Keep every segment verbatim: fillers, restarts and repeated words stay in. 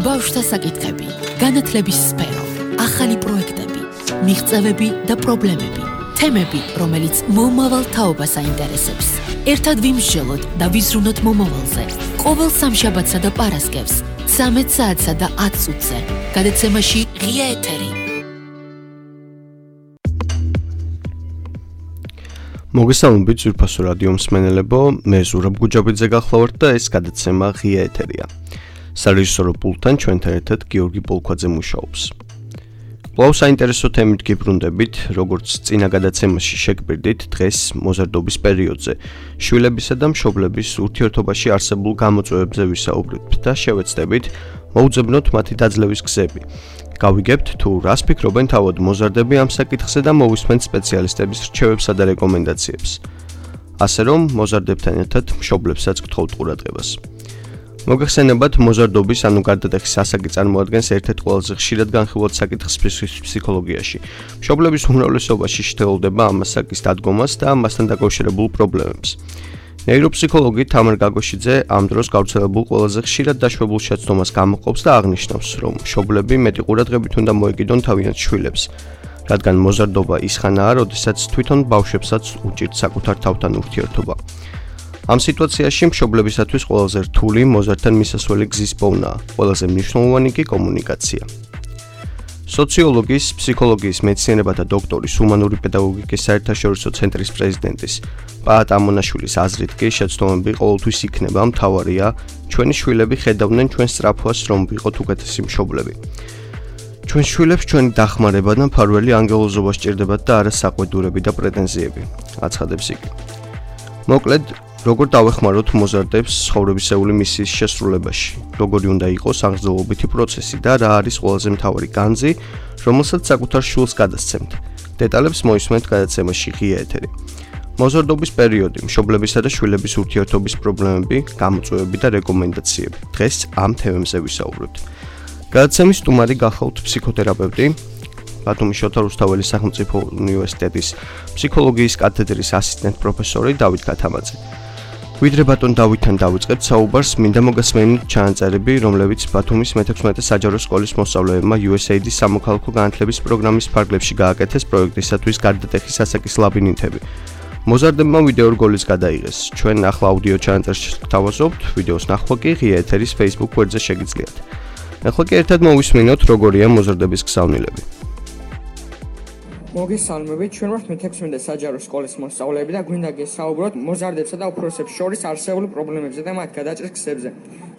ბავშვთა საკითხები, განათლების სფერო, ახალი პროექტები, მიღწევები და პრობლემები, თემები, რომელიც მომავალ თაობას აინტერესებს. ერთად ვიმსჯელოთ და ვიზრუნოთ მომავალზე. ყოველ სამშაბათსა და პარასკევს, ცამეტ საათსა და ათ წუთზე, გადაცემაში ღია ეთერი. მოგესალმებით ძვირფასო რადიო მსმენელებო, მე ზურაბ გუჯაბიძე გახლავართ და ეს გადაცემა ღია ეთერია. სარეჟისორო პულტთან ჩვენთან ერთად გიორგი პოლქვაძე მუშაობს. კვლავ საინტერესო თემით გიბრუნდებით, როგორც წინა გადაცემაში შეგბირდით, დღეს მოზარდობის პერიოდზე, შვილებისა და მშობლების ურთიერთობაში არსებულ გამოწვევებზე ვისაუბრებთ და შევეცდებით მოუძებნოთ მათი დაძლევის გზები. გავიგებთ თუ რას ფიქრობენ თავად მოზარდები ამ საკითხზე და მოვისმენთ სპეციალისტების რჩევებსა და რეკომენდაციებს. ასე რომ, მოზარდებთან ერთად მშობლებსაც გთხოვთ ყურადღებას. მოგეხსენებათ, მოზარდობის ანუ გარდატეხის ასაკი წარმოადგენს ერთ-ერთ ყველაზე ხშირად განხილულ საკითხს ფსიქოლოგიაში. მშობლების უმრავლესობაში შეთავაზება ამ ასაკის დადგომას და მასთან დაკავშირებულ პრობლემებს. ნეიროფსიქოლოგი თამარ გაგოშიძე ამ დროს გავრცელებულ ყველაზე ხშირად დაშვებულ შეცდომას გამოყოფს და აღნიშნავს, რომ მშობლები მეტი ყურადღებით უნდა მოეკიდონ თავიანთ შვილებს, რადგან მოზარდობა ის ხანაა, როდესაც თვითონ ბავშვებსაც უჭირთ საკუთარ თავთან ურთიერთობა. ამ სიტუაციაში მშობლებისათვის ყველაზე რთული მოზარდთან მისასვლელი გზის პოვნაა, ყველაზე მნიშვნელოვანი კი კომუნიკაცია. სოციოლოგის, ფსიქოლოგიის მეცნიერებათა დოქტორის, ჰუმანური პედაგოგიკის საერთაშორისო ცენტრის პრეზიდენტის პაატ ამონაშვილის აზრით კი შეცდომები ყოველთვის იქნება მთავარია, ჩვენი შვილები ხედავდნენ ჩვენ სწრაფვას, რომ ვიყოთ უკეთესი მშობლები. ჩვენ შვილებს ჩვენი დახმარება და მფარველი ანგელოზობა სჭირდებათ და არა საყვედურები და პრეტენზიები, აცხადებს იგი. მოკლედ, როგორ დავეხმაროთ მოზარდებს ცხოვრებისეული მისიის შესრულებაში, როგორი უნდა იყოს აღრძელობითი პროცესი და რა არის ყველაზე მთავარი განძი, რომელსაც საკუთარ შვილს გადასცემთ. დეტალებს მოისმენთ გადაცემაში ღია ეთერი. მოზარდობის პერიოდი, მშობლებისა და შვილების ურთიერთობის პრობლემები, გამოწვევები და რეკომენდაციები. დღეს ამ თემებზე ვისაუბრებთ. გადაცემის სტუმარი გახავთ ფსიქოთერაპევტი, ბათუმის შოთა რუსთაველის სახელმწიფო უნივერსიტეტის ფსიქოლოგიის კათედრის ასისტენტ პროფესორი დავით გათამაძე. ვიდრე ბატონ დავითთან დავიწყებთ საუბარს, მინდა მოგესმენთ ჩანაწერები, რომლებიც ბათუმის მეთექვსმეტე საჯარო სკოლის მოსწავლეებმა იუ ეს ეი დის სამოქალაქო განათლების პროგრამის ფარგლებში გააკეთეს პროექტისათვის გარდატეხის ასაკის ლაბირინთები. მოზარდებმა ვიდეო რგოლის გადაიღეს. ჩვენ ახლა აუდიო ჩანაწერს გთავაზობთ, ვიდეოს ნახვა კი ღია ეთერის Facebook გვერდზე შეგიძლიათ. ახლა კი ერთად მოვისმინოთ, როგორია მოზარდების გზავნილები. მოგესალმებით, ჩვენ ვართ მეთექვსმეტე საჯარო სკოლის მოსწავლეები და გვინდა გესაუბროთ მოზარდებსა და უფროსებს შორის არსებულ პრობლემებზე და მათ გადაჭრის გზებზე.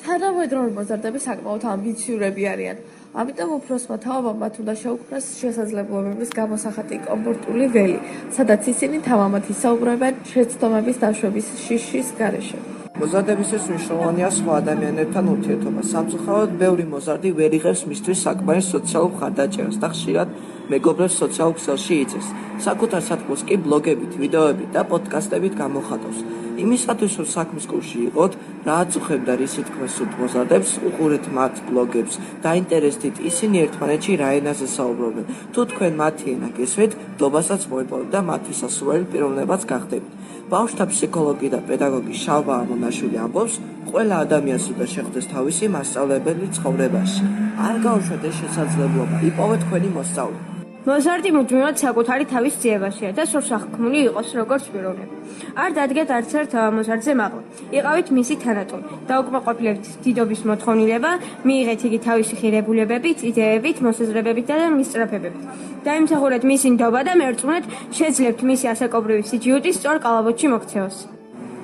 თანამედროვე მოზარდები საკმაოდ ამბიციურები არიან. ამიტომ უფროსმა თაობამ მათ უნდა შეუქმნას შესაძლებლობების გამოსახატი კომფორტული ველი, სადაც ისინი თამამად ისაუბრებენ შეცდომების დაშვების შიშის გარეშე. მოზარდებისთვის მნიშვნელოვანია სხვა ადამიანებთან ურთიერთობა. სამწუხაროდ, ბევრი მოზარდი ვერ იღებს მისთვის საკმარის სოციალურ მხარდაჭერას და ხშირად მეგობრებს სოციალურ ქსელში იწევს. საკუთარ სათქმულს კი ბლოგებით, ვიდეოებით და პოდკასტებით გამოხატავს. იმისათვის, რომ საქმის კურსში იყოთ, რაც უხებდა რისი თქმას სურთ მოზარდებს, უყურეთ მათ ბლოგებს, დაინტერესდით ისინი ერთმანეთში რა ენაზე საუბრობენ. თუ თქვენ მათი ენა გესმით, დობასაც მოიპოვეთ და მათი სასურველი პიროვნებაც გახდებით. ბავშვთა ფსიქოლოგი და პედაგოგი შალვა ამონაშვილი ამბობს, ყველა ადამიანს უნდა შეხვდეს თავისი მასწავლებელი ცხოვრებაში. არ გაუშვათ ეს შესაძლებლობა, იპოვეთ თქვენი მოსწავლე. მოზარდი მუდმივად საკუთარი თავის ძიებაშია და სურს აღქმული იყოს როგორც პიროვნება. არ დადგეთ არც ერთ მოზარდზე მაღლა. იყავით მისი თანატოლი, დაუკმაყოფილებით დიდობის მოთხოვნილება, მიიღეთ იგი თავისი ხირებულებებით, იდეებით, მოსაზრებებით და მისწრაფებებით. დაიმსახურეთ მისი ნდობა და მერწმუნეთ, შეძლებთ მისი ასაკობრივი სიჯიუტის სწორ კალაბოთში მოქცევას.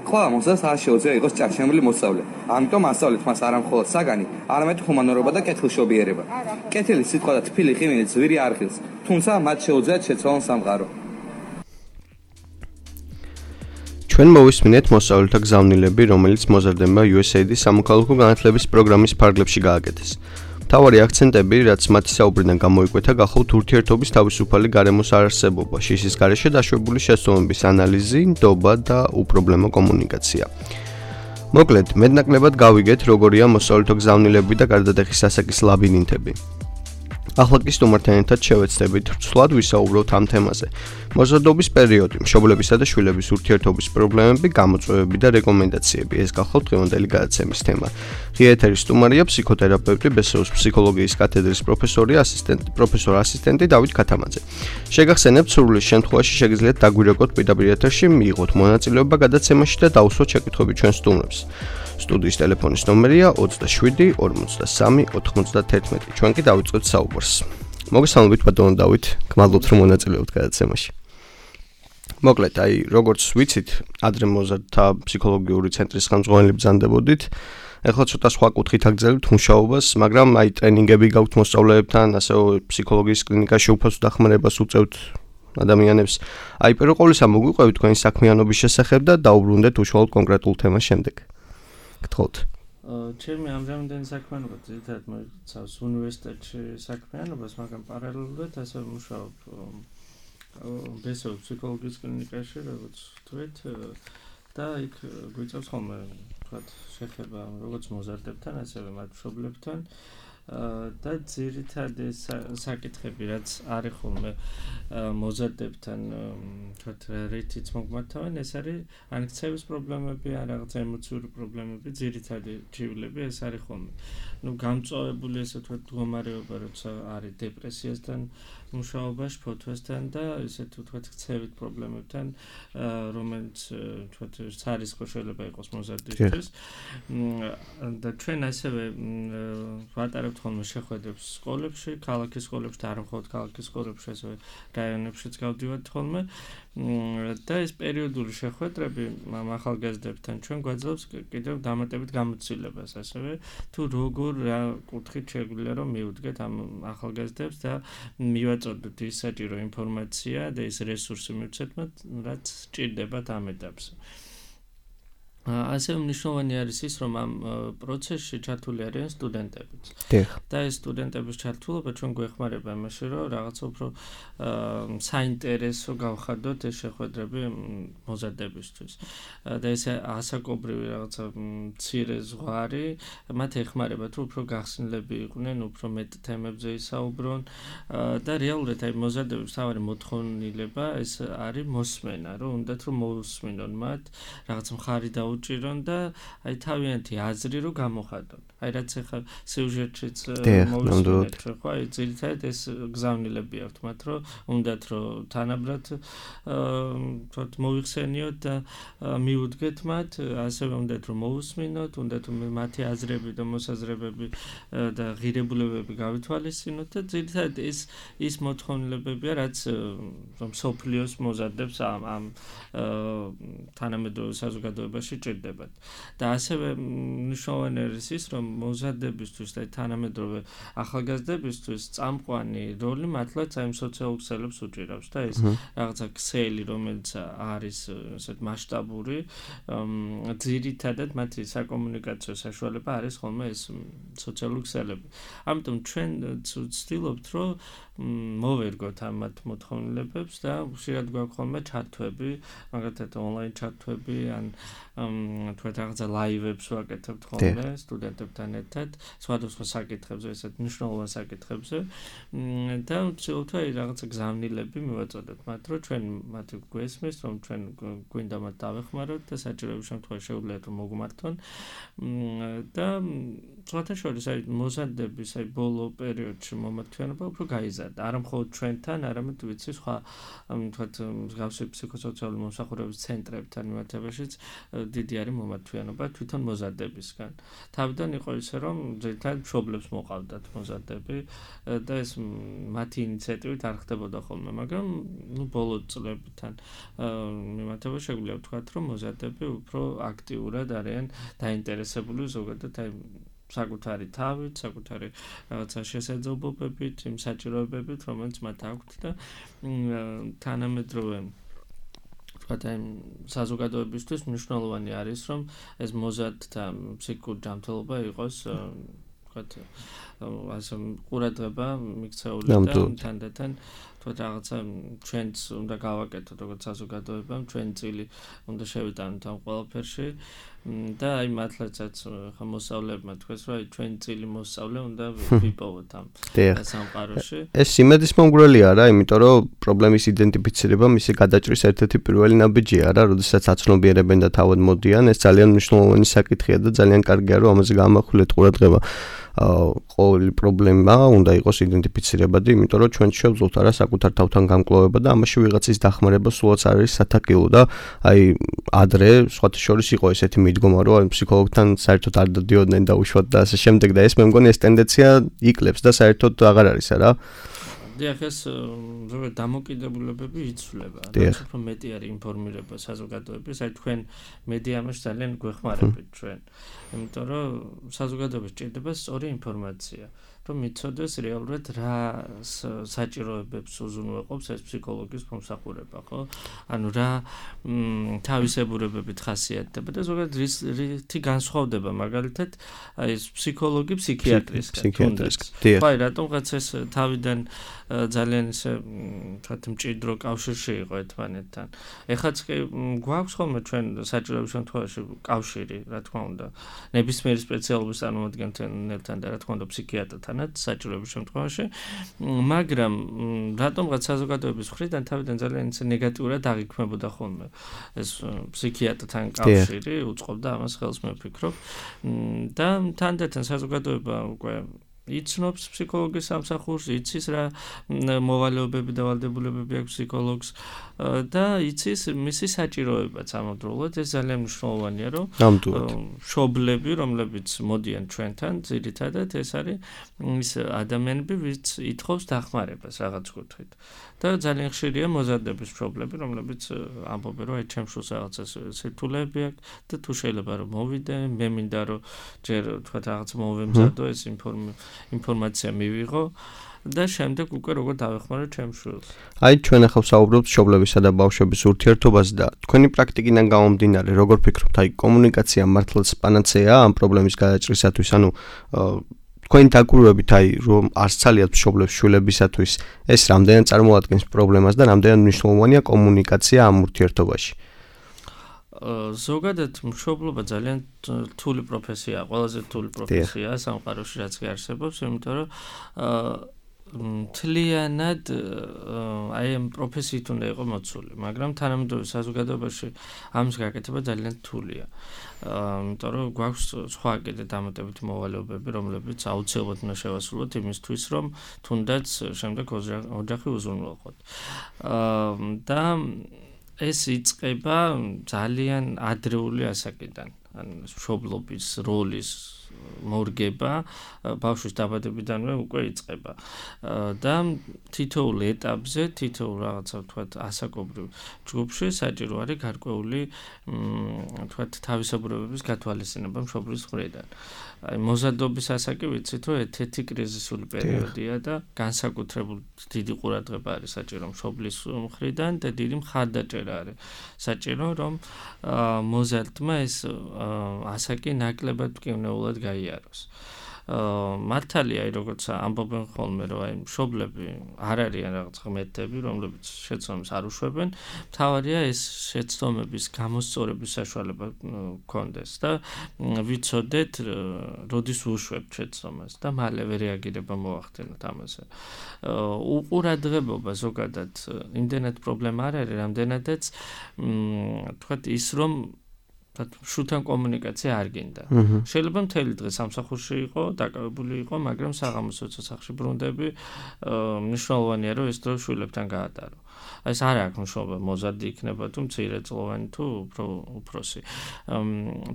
ყველა მოსწავლეს არ შეუძლია იყოს ჭარჩემილი მოსწავლე. ამიტომ ასწავლეთ მას არა მხოლოდ საგანი, არამედ ჰუმანურობა და კეთილშობიერება. კეთილი სიტყვა და თბილი ღიმილი ძვირი არ ხილს, თუმცა მათ შეუძლიათ შეცვალონ სამყარო. ჩვენ მოვისმინეთ მოსწავლეთა გზავნილები, რომელიც მოზარდებმა იუ ეს ეი დის სამოქალაქო განათლების პროგრამის ფარგლებში გააკეთეს. მთავარი აქცენტები, რაც მათი საუბრიდან გამოიკვეთა, გახავთ ურთიერთობის თავისუფალი გარემოს არარსებობა, შიშის გარეშე დაშვებული შეცდომების ანალიზი, ნდობა და უპრობლემო კომუნიკაცია. მოკლედ, მეტნაკლებად გავიგეთ, როგორია მოსწავლეთა გზავნილები და გარდატეხის ასაკის ლაბირინთები. ახლა კი სტუმართან ერთად შევეცდებით რცვლად ვისაუბროთ ამ თემაზე. მოზარდობის პერიოდი, მშობლებისა და შვილების ურთიერთობის პრობლემები, გამოწვევები და რეკომენდაციები. ეს გახლავთ დღევანდელი გადაცემის თემა. ღია ეთერის სტუმარია ფსიქოთერაპევტი, ბესოუს ფსიქოლოგიის კათედრის პროფესორი, ასისტენტი, პროფესორ ასისტენტი დავით ქათამაძე. შეგახსენებთ, სურვილის შემთხვევაში შეგიძლიათ დაგვირეკოთ პირდაპირ ეთერში, მიიღოთ მონაწილეობა გადაცემაში და დაუსვათ შეკითხვები ჩვენ სტუმრებს. სტუდიის ტელეფონის ნომერია ოცდაშვიდი ორმოცდასამი ოთხმოცდაათერთმეტი. ჩვენ კი დავიწყებთ საუბარს. მოგესალმებით ბატონო დავით, გმადლობთ რომ მონაწილეობთ გადაცემაში. მოკლედ, აი, როგორც ვიცით, ადრე მოზარდთა ფსიქოლოგიური ცენტრის ხელმძღვანელი ბრძანდებოდით. ეხლა ცოტა სხვა კუთხით აგრძელებთ მუშაობას, მაგრამ აი ტრენინგები გაქვთ მოსწავლეებთან, ასევე ფსიქოლოგიის კლინიკაში უფასო დახმარებას უწევთ ადამიანებს. აი, პირველ ყოვლისა მოგვიყვებით თქვენი საქმიანობის შესახებ და დაუბრუნდეთ უშუალოდ კონკრეტულ თემას შემდეგ. გთხოვთ. ჩემი ამჟამინდელი საქმიანობა ძირითადად მოიცავს უნივერსიტეტში საქმიანობას, მაგრამ პარალელურად ასევე მუშაობ ბესოუს ფსიქოლოგიის კლინიკაში, როგორც თქვით, და იქ გვიწევს ხოლმე ვთქვათ შეხება როგორც მოზარდებთან, ასევე მათ მშობლებთან და ძირითადი საკითხები, რაც არის ხოლმე მოზარდებთან, ვთქვათ, რითიც მოგმართავენ, ეს არის ან ქცევის პრობლემები, ან რაღაც ემოციური პრობლემები, ძირითადი ჯივლები ეს არის ხოლმე. ნუ გამწვავებული ესე ვთქვათ მდგომარეობა, როცა არის დეპრესიასთან მუშაობა, ფოთვასთან და ისეთ ვთქვათ ქცევით პრობლემებთან, რომელიც ვთქვათ სარისკო შეიძლება იყოს მოზარდისთვის. და ჩვენ ასევე ვატარებთ ხოლმე შეხვედრებს სკოლებში, ქალაქის სკოლებში და არ მხოლოდ ქალაქის სკოლებში, ასევე რაიონებშიც გავდივართ ხოლმე. და ეს პერიოდული შეხვედრები ახალგაზრდებთან ჩვენ გვაძლევს კიდევ დამატებით გამოცდილებას, ასევე თუ როგორ რა კუთხით შეგვიძლია რომ მივუდგეთ ამ ახალგაზრდებს და მივაწოდოთ ის საჭირო ინფორმაცია და ის რესურსი მივცეთ მათ, რაც სჭირდებათ ამ ეტაპზე. ასევე მნიშვნელოვანი არის ის, რომ ამ პროცესში ჩართული არიან სტუდენტებიც. და ეს სტუდენტების ჩართულობა ჩვენ გვეხმარება იმაში, რომ რაღაცა უფრო საინტერესო გავხადოთ ეს შეხვედრები მოზარდებისთვის. და ეს ასაკობრივი რაღაცა მცირე ზღვარი მათ ეხმარება, თუ უფრო გახსნილები იყვნენ, უფრო მეტ თემებზე ისაუბრონ და რეალურად აი მოზარდების მთავარი მოთხოვნილება ეს არის მოსმენა, რომ უნდათ რომ მოусმინონ მათ, რაღაც მხარი და უჭირონ და აი თავიანთი აზრი რო გამოხატონ. აი რაც ახლა სიუჟეტშიც მოვისმინეთ, ხო, აი ძირითადად ეს გზავნილები აქვთ მათ, რომ უნდათ რომ თანაბრად თქო მოიხსენიოთ და მიუდგეთ მათ, ასევე უნდათ რომ მოусმინოთ, უნდათ რომ მათი აზრები და მოსაზრებები და ღირებულებები გავითვალისწინოთ და ძირითადად ეს ის მოთხოვნილებებია, რაც რომ სოფლიოს მოზარდებს ამ ამ თანამედროვე საზოგადოებაში ჭირდებათ. და ასევე მნიშვნელოვანი არის ის, რომ მოზარდებისთვის და თანამედროვე ახალგაზრდებისთვის წამყვანი როლი მართლაც აი სოციალურ ქსელებს უჭირავს და ეს რაღაცა ქსელი, რომელიც არის ესეთ მასშტაბური, ძირითადად მათი საკომუნიკაციო საშუალება არის ხოლმე ეს სოციალური ქსელები. ამიტომ ჩვენ ვცდილობთ, რომ მოვერგოთ ამ მათ მოთხოვნილებებს და ხშირად გვაქვს ხოლმე ჩართვები, მაგალითად ონლაინ ჩართვები ან თქვათ რაღაცა ლაივებს ვაკეთებთ ხოლმე სტუდენტებთან ერთად, სხვადასხვა საკითხებზე, ესეთ მნიშვნელოვან საკითხებზე და ვცდილობთ აი რაღაცა გზავნილები მივაწოდოთ მათ, რომ ჩვენ მათი გვესმის, რომ ჩვენ გვინდა მათ დავეხმაროთ და საჭიროების შემთხვევაში შეუძლიათ რომ მოგმართონ და სხვათა შორის აი მოზარდების აი ბოლო პერიოდში მომართვიანობა უფრო გაიზარდა. არა მხოლოდ ჩვენთან, არამედ ვიცი სხვა თქვათ მსგავსი ფსიქოსოციალური მომსახურების ცენტრებთან მიმართებაშიც დიდი არის მომართვიანობა თვითონ მოზარდებისგან. თავიდან იყო ისე, რომ ძირითადად მშობლებს მოყავდათ მოზარდები და ეს მათი ინიციატივით არ ხდებოდა ხოლმე, მაგრამ ნუ ბოლო წლებთან მიმართებაში შეგვიძლია ვთქვათ, რომ მოზარდები უფრო აქტიურად არიან დაინტერესებული ზოგადად აი საკუთარი თავით, საკუთარი რაღაცა შესაძლებლობებით, იმ საჭიროებებით, რომელიც მათ აქვთ და თანამედროვე ვთქვათ, აი საზოგადოებისთვის მნიშვნელოვანი არის, რომ ეს მოზარდთა ფსიქიკური ჯანმრთელობა იყოს ვთქვათ, ასე ყურადღება მიქცეული და თანდათან თქო რაღაცა ჩვენც უნდა გავაკეთოთ როგორც საზოგადოებამ, ჩვენ წილი უნდა შევიტანოთ ამ ყველაფერში და აი მართლაცაც ხა მოსწავლებმა თქვეს რომ აი ჩვენი წილი მოსწავლე უნდა ვიპოვოთ ამ სამყაროში. ეს იმედის მომგვრელია რა, იმიტომ რომ პრობლემის იდენტიფიცირება მისი გადაჭრის ერთ-ერთი პირველი ნაბიჯია რა, როდესაც აცნობიერებენ და თავად მოდიან, ეს ძალიან მნიშვნელოვანი საკითხია და ძალიან კარგია რომ ამაზე გამახვილეთ ყურადღება. ყოველი პრობლემა უნდა იყოს იდენტიფიცირებადი, იმიტომ რომ ჩვენ შევძლოთ არა საკუთარ თავთან გამკლოვება და ამაში ვიღაცის დახმარება სულაც არ არის სათაკილო და აი ადრე სხვათა შორის იყო ესეთი მიდგომა რომ აი ფსიქოლოგთან საერთოდ არ დადიოდნენ და უშუალოდ და ასე შემდეგ და ეს მე მგონი ეს ტენდენცია იკლებს და საერთოდ აღარ არის არა. დიახ, ეს ზოგადად დამოკიდებულებები იცვლება. რაც უფრო მეტი არის ინფორმირება საზოგადოების, აი თქვენ მედიამაში ძალიან გვეხმარებით ჩვენ. იმიტომ რომ საზოგადოებას ჭირდება სწორი ინფორმაცია, რომ იცოდეს რეალურად რა საჭიროებებს უზრუნველყოფს ეს ფსიქოლოგის მომსახურება, ხო? ანუ რა თავისებურებებით ხასიათდება და ზოგადად რითი განსხვავდება მაგალითად აი ეს ფსიქოლოგი ფსიქიატრისგან. ხო, აი რატომღაც ეს თავიდან ძალიან ისე თქვათ მჭიდრო კავშირში იყო ერთმანეთთან. ეხაც კი გვაქვს ხოლმე ჩვენ საჭიროების შემთხვევაში კავშირი, რა თქმა უნდა, ნებისმიერი სპეციალობის წარმომადგენელთან და რა თქმა უნდა ფსიქიატრთანაც საჭიროების შემთხვევაში, მაგრამ რატომღაც საზოგადოების მხრიდან თავიდან ძალიან ისე ნეგატიურად აღიქმებოდა ხოლმე ეს ფსიქიატრთან კავშირი, უწყობდა ამას ხელს მე ვფიქრობ და თანდათან საზოგადოება უკვე იცნობს ფსიქოლოგის სამსახურს, იცის რა მოვალეობები და ვალდებულებები აქვს ფსიქოლოგს და იცის მისი საჭიროებაც ამავდროულად. ეს ძალიან მნიშვნელოვანია, რომ მშობლები, რომლებიც მოდიან ჩვენთან, ძირითადად ეს არის ის ადამიანები, ვინც ითხოვს დახმარებას რაღაც კუთხით. და ძალიან ხშირია მოზარდების მშობლები, რომლებიც ამბობენ, რომ აი ჩემს შულს რაღაცა სირთულეები აქვს და თუ შეიძლება რომ მოვიდე, მე მინდა რომ ჯერ თქვა რაღაც მოვემზადო ეს ინფორმაცია მივიღო და შემდეგ უკვე როგორ დავეხმარო ჩემს შულს. აი ჩვენ ახლა ვსაუბრობთ მშობლებისა და ბავშვების ურთიერთობაზე და თქვენი პრაქტიკიდან გამომდინარე, როგორ ფიქრობთ, აი კომუნიკაცია მართლაც პანაცეაა ამ პრობლემის გადაჭრისათვის, ანუ თქვენი დაკვირვებით აი რომ არც ცალიათ მშობლებს შულებისათვის ეს რამდენად წარმოადგენს პრობლემას და რამდენად მნიშვნელოვანია კომუნიკაცია ამ ურთიერთობაში. ზოგადად მშობლობა ძალიან რთული პროფესიაა, ყველაზე რთული პროფესიაა სამყაროში, რაც კი არსებობს, იმიტომ რომ მთლიანად აი ამ პროფესიით უნდა იყო მოცული, მაგრამ თანამედროვე საზოგადოებაში ამის გაკეთება ძალიან რთულია. იმიტომ რომ გვაქვს სხვა კიდე დამატებითი მოვალეობები, რომლებიც აუცილებლად უნდა შევასრულოთ იმისთვის, რომ თუნდაც შემდეგ ოჯახი უზრუნველყოთ. და ეს იწყება ძალიან ადრეული ასაკიდან, ანუ მშობლობის როლის მორგება ბავშვის დაბადებიდანვე უკვე იწყება. და თითოეულ ეტაპზე, თითოეულ რაღაცა ვთქვათ ასაკობრივ ჯგუფში საჭირო არის გარკვეული ვთქვათ თავისებურებების გათვალისწინება მშობლის მხრიდან. აი მოზარდობის ასაკი ვიცით, რომ ერთ-ერთი კრიზისული პერიოდია და განსაკუთრებულ დიდი ყურადღება არის საჭირო მშობლის მხრიდან და დიდი მხარდაჭერა არის საჭირო, რომ მოზარდმა ეს ასაკი ნაკლებად მკვნეულად გაიაროს. მართალია, აი როგორც ამბობენ ხოლმე, რომ აი მშობლები არ არიან რაღაც ღმერთები, რომლებიც შეცდომებს არ უშვებენ, მთავარია ეს შეცდომების გამოსწორების საშუალება გქონდეს და ვიცოდეთ, როდის უშვებთ შეცდომას და მალევე რეაგირება მოახდინოთ ამაზე. უყურადღებობა ზოგადად იმდენად პრობლემა არ არის, რამდენადაც თქვათ ის რომ შულთან კომუნიკაცია არ გინდა. შეიძლება მთელი დღე სამსახურში იყო, დაკავებული იყო, მაგრამ საღამოს როცა სახლში ბრუნდები, მნიშვნელოვანია რომ ეს დრო შვილებთან გაატარო. ეს არ აქვს მნიშვნელობა, მოზარდი იქნება თუ მცირეწლოვანი თუ უფრო უფროსი.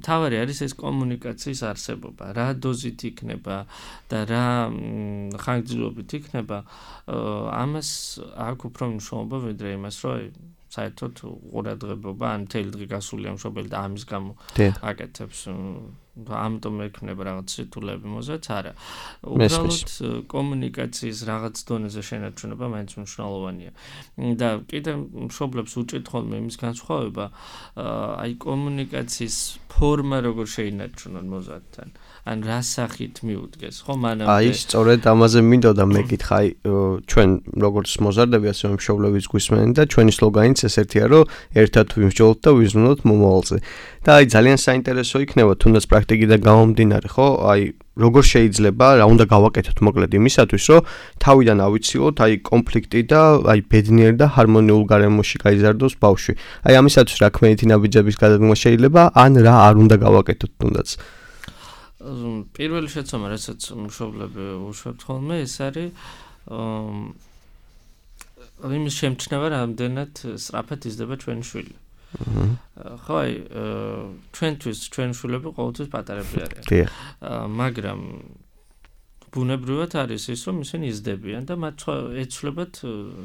მთავარი არის ეს კომუნიკაციის არსებობა, რა დოზით იქნება და რა ხანგრძლივობით იქნება, ამას აქვს უფრო მნიშვნელობა ვიდრე იმას, რომ საერთოდ ყურადღება ან მთელი დღე გასულია მშობელი და ამის გამო აკეთებს ამიტომ ექნება რაღაც სიტულები მოზაც არა. უბრალოდ კომუნიკაციის რაღაც დონეზე შენარჩუნება მაინც მნიშვნელოვანია. და კიდე მშობლებს უჭირთ ხოლმე იმის განსხვავება, აი კომუნიკაციის ფორმა როგორ შეინარჩუნონ მოზარდთან. ან რა სახით მიუდგეს, ხო მანამდე. აი, სწორედ ამაზე მინდოდა მეკითხა, აი ჩვენ როგორც მოზარდები, ასე მშობლებიც გვისმენენ და ჩვენი სლოგანიც ეს ერთია, რომ ერთად ვიმსჯელოთ და ვიზრუნოთ მომავალზე. და აი ძალიან საინტერესო იქნება, თუნდაც პრაქტიკიდან გამომდინარე, ხო? აი როგორ შეიძლება, რა უნდა გავაკეთოთ მოკლედ იმისათვის, რომ თავიდან ავიცილოთ აი კონფლიქტი და აი ბედნიერ და ჰარმონიულ გარემოში გაიზარდოს ბავშვი. აი ამისათვის რა ქმედითი ნაბიჯების გადადგმა შეიძლება, ან რა არ უნდა გავაკეთოთ თუნდაც. პირველი შეცდომა, რასაც მშობლები უშვებთ ხოლმე, ეს არის იმის შემჩნევა, რამდენად სწრაფად იზრდება ჩვენი შვილი. ხო, აი, ჩვენთვის ჩვენი შვილები ყოველთვის პატარები არიან. მაგრამ ბუნებრივად არის ის, რომ ისინი იზრდებიან და მათ ეცვლებათ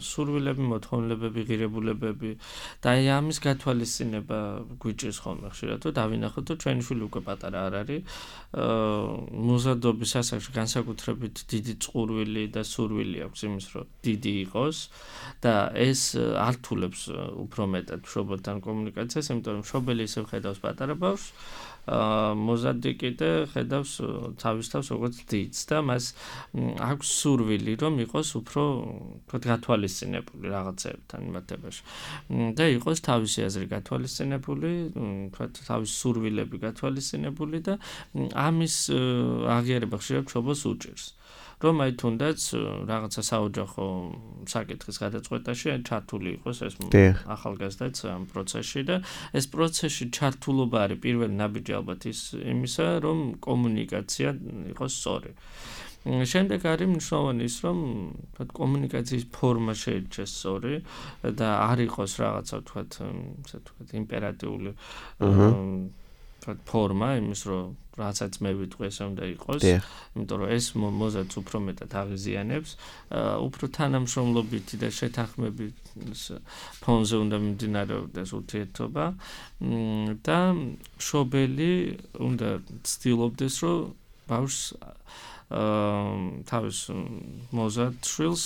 სურვილები, მოთხოვნილებები, ღირებულებები და აი ამის გათვალისწინება გვიჭირს ხოლმე ხშირად, რომ დავინახოთ, რომ ჩვენი შვილი უკვე პატარა არ არის. მოზარდობის ასაკში განსაკუთრებით დიდი წყურვილი და სურვილი აქვს იმის, რომ დიდი იყოს და ეს ართულებს უფრო მეტად მშობელთან კომუნიკაციას, იმიტომ რომ მშობელი ისევ ხედავს პატარა ბავშვს, მოზარდი კიდე ხედავს თავის თავს როგორც დიდს და მას აქვს სურვილი, რომ იყოს უფრო თქვათ გათვალისწინებული რაღაცებთან მიმართებაში. და იყოს თავისი აზრი გათვალისწინებული, თქვათ თავისი სურვილები გათვალისწინებული და ამის აღიარება ხშირად მშობელს უჭირს. რომ აი თუნდაც რაღაცა საოჯახო საკითხის გადაწყვეტაში ჩართული იყოს ეს ახალგაზრდაც ამ პროცესში და ეს პროცესში ჩართულობა არის პირველი ნაბიჯი ალბათ ის იმისა, რომ კომუნიკაცია იყოს სწორი. შემდეგ არის მნიშვნელოვანი ის, რომ თქვათ კომუნიკაციის ფორმა შეირჩეს სწორი და არ იყოს რაღაცა თქვათ ესე თქვათ იმპერატიული თქვათ ფორმა იმის, რომ რასაც მე ვიტყვი ესე უნდა იყოს, იმიტომ რომ ეს მოზარდს უფრო მეტად აღიზიანებს, უფრო თანამშრომლობითი და შეთანხმებით ფონზე უნდა მიმდინარეობდეს ურთიერთობა და მშობელი უნდა ცდილობდეს, რომ ბავშვს თავის მოზარდ შვილს